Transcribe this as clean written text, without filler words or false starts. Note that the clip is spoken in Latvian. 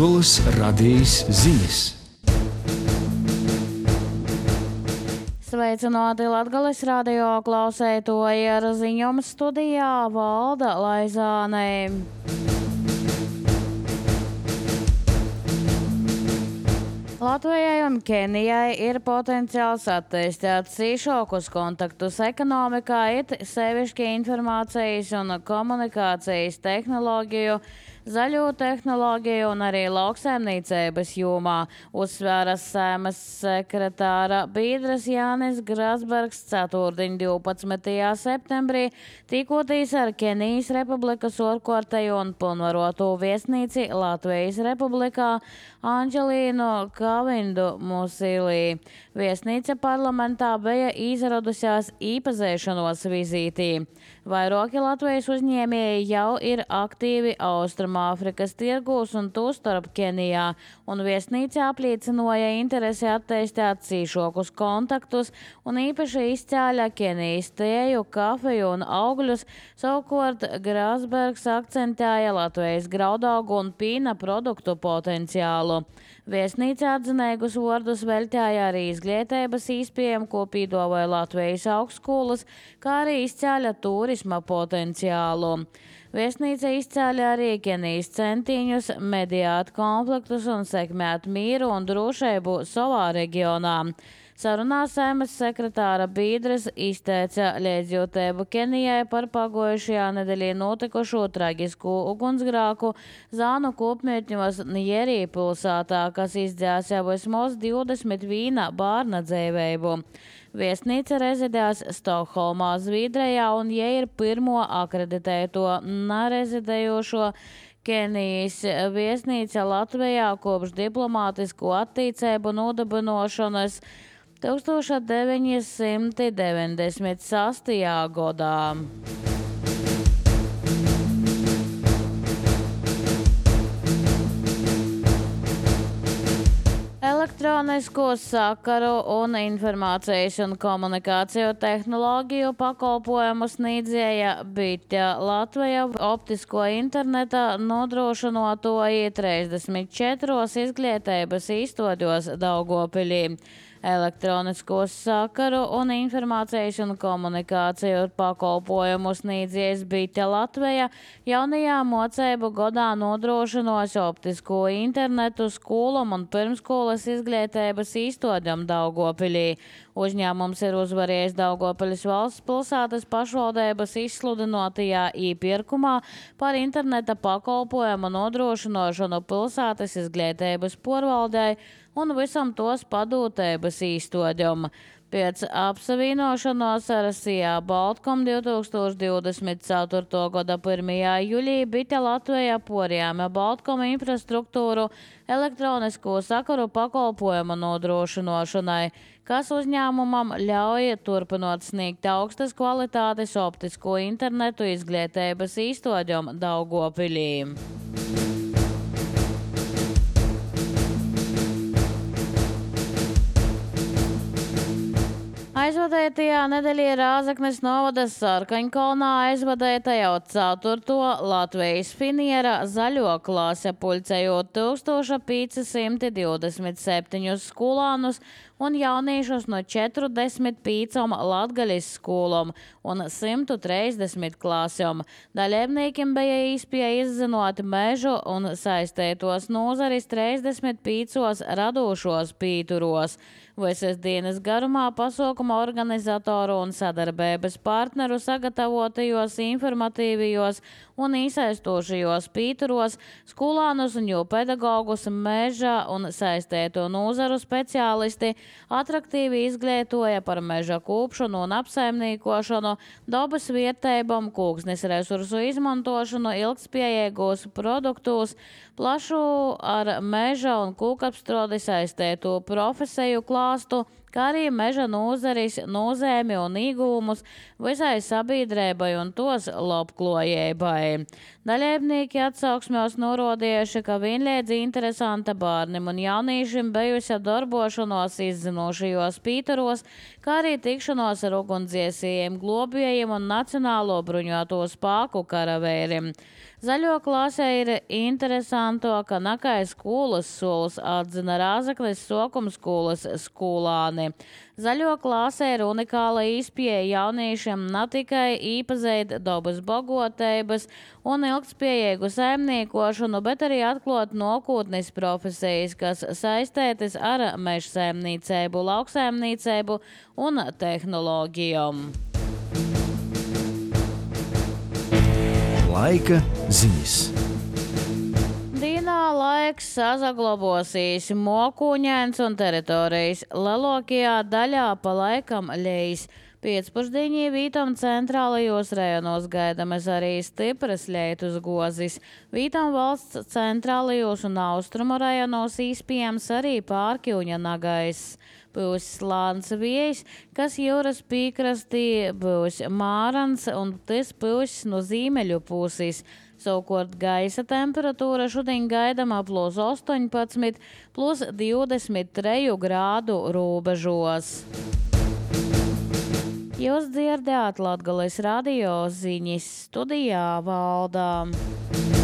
Latgoles radījis ziņas. Sveicināti Latgoles radio klausētoji, ar ziņojumu studijā Valda Laizāne. Latvijai un Kenijai ir potenciāls attīstīt cīšākus kontaktus ekonomikā, it sevišķi informācijas un komunikācijas tehnoloģiju, zaļo tehnoloģiju un arī lauksaimniecības jomā, uzsvēra Saeimas sekretāra biedrs Jānis Grasbergs ceturtdien 12. septembrī, tikoties ar Kenijas Republikas orkārtējo un pilnvaroto viesnīci Latvijas Republikā Anģelīnu Kavindu Musilī. Viesnīca parlamentā bija izradusies īpazīšanos vizītī. Vairāki Latvijas uzņēmēji jau ir aktīvi Austrumāfrikas tirgūs un tostarp Kenijā, un viesnīca apliecināja interesi attīstīt cīšākus kontaktus un īpaši izcēla Kenijas tēju, kafiju un augļus. Savukārt Grasbergs akcentēja Latvijas graudaugu un pīna produktu potenciālu. Viesnīca atzinīgus vārdus veltīja arī izglītības iespējām, ko piedāvāja Latvijas augstskolas, kā arī izcēla turisma potenciālu. Viesnīca izcēla arī Kenijas centiņus mediāt konfliktus un sekmēt mieru un drošību savā reģionā. Sarunā Saeimas sekretāra biedrs izteica līdzjūtību Kenijai par pagojušajā nedēļā notikušo traģisku ugunsgrēku Zānu kopmītņos Njerī pilsētā, kas izdzēsa vismaz 21 bērna dzīvību. Viesnīca rezidēs Stokholmā, Zviedrijā, un ja ir pirmo akreditēto nerezidējošo Kenijas viesnīca Latvijā kopš diplomātisko attīstību nodibināšanas 1996. gadā. Elektronisko sakaru un informācijas un komunikāciju tehnoloģiju pakalpojumu sniedzēja Bitja Latvija optisko interneta nodrošinotoji 34 izglītības īstoļos Daugavpilī. Elektronisko sakaru un informācijas un komunikāciju pakalpojumu sniedzējs Bitja Latvija jaunajā mocību gadā nodrošinos optisko internetu skolām un pirmskolas izglītības īstoļam Daugavpilī. Uzņēmums ir uzvarējis Daugavpiļas valsts pilsētas pašvaldības izsludinotajā iepirkumā par interneta pakalpojumu nodrošinošanu pilsētas izglītības porvaldei un visam tos padūtības īstoļam. Pēc apsavienošanos ar Sijā Baltkom 2024. gada 1. jūlijā Bitja Latvija porjāma Baltkom infrastruktūru elektronisko sakaru pakalpojumu nodrošinošanai, kas uzņēmumam ļauj turpinot sniegt augstas kvalitātes optisko internetu izglītības īstoļam Daugavpilī. Aizvadētajā nedēļā Rāzaknes novada Sarkaņkalnā aizvadēta jau 4. Latvijas finiera zaļo klase, puļcējot 1527 skolānus un jauniešus no 45 Latgaļas skolām un 130 klasēm. Dalībniekiem bija iespēja izzinot mežu un saistētos nozaris 35 radošos pīturos. Visas dienas garumā pasākuma organizatoru un sadarbības partneru sagatavotajos informatīvajos un īsaistošajos pīturos skolānus un jau pedagogus, meža un saistēto nozaru speciālisti atraktīvi izglītoja par meža kūpšanu un apsaimniekošanu, dabas vietējumam, kūksnes resursu izmantošanu, ilgtspējīgos produktus, plašu ar meža un kūkapstrodi saistēto profesiju klāstu, kā arī meža nozaris, nozīmi un iegūmus visai sabiedrībai un tos labklājībai. Dalībnieki atsauksmēs norādījuši, ka vienlīdz interesanta bērniem un jauniešiem bijusi darbošanos izzinošajos pītaros, kā arī tikšanos ar ugunsdziesējiem, globējiem un Nacionālo bruņoto spēku karavēriem. Zaļo klasē ir interesanto, ka nakai skolas solis atzina Rāzakles Sokuma skolas skolāni. Zaļo klasē ir unikāla izpieeja jauniešiem ne tikai īpazīt dabas bagotības un ilgtspējīgu saimniekošanu, bet arī atklāt nākotnes profesijas, kas saistētas ar mežsaimniecību, lauksaimniecību un tehnoloģijām. Laika ziņas. Dīnā laiks sazaglabosīs mokuņēns un teritorijas. Lielākajā daļā pa laikam ļeis. Pēcpusdienī vītam centrālajos rajonos gaidamas arī stipras lietus gozis. Vītam valsts centrālajos un austrumu rajonos īspējams arī pārkļūņa nagais. Būs slāns vējs, kas jūras pīkrastī būs mārans un tas būs no ziemeļu puses. Savukārt gaisa temperatūra šodien gaidama plus 18, plus 23 grādu robežos. Jūs dzirdējāt Latgales radio ziņas, studijā Valdā.